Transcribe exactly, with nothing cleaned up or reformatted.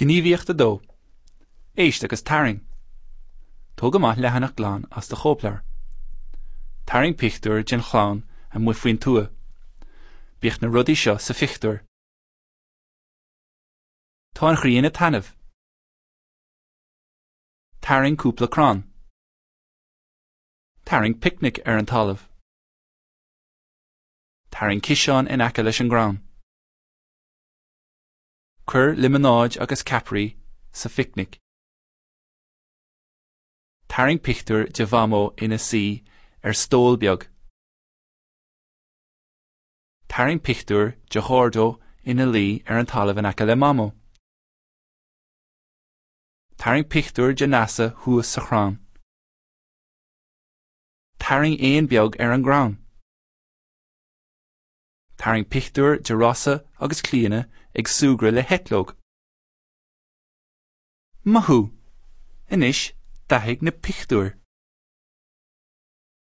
Gníomhaíocht a dó. Éist agus tarraing. Tóg amach leathanach glan as do chóipleabhar. Tarraing pictiúr den chlann amuigh faoin tuath. Bíodh na rudaí seo sa phictiúr. Tá an ghrian ag taitneamh. Tarraing cúpla crann. Tarraing picnic ar an talamh. Tarraing ciseán in aice leis an gcrann. Cuir líomanáid agus ceapairí sa phicnic. Tarraing pictiúr de Mhamó ina suí ar stól beag. Tarraing pictiúr de Dhaideo ina luí ar an talamh in aice le Mamó. Tarraing pictiúr de Neasa thuas sa chrann. Tarraing éan beag ar an gcrann. Tarraing pictiúr de Rossa agus Clíona ag súgradh le heitleog. Maith thú! Anois dathaigh na pictiúir.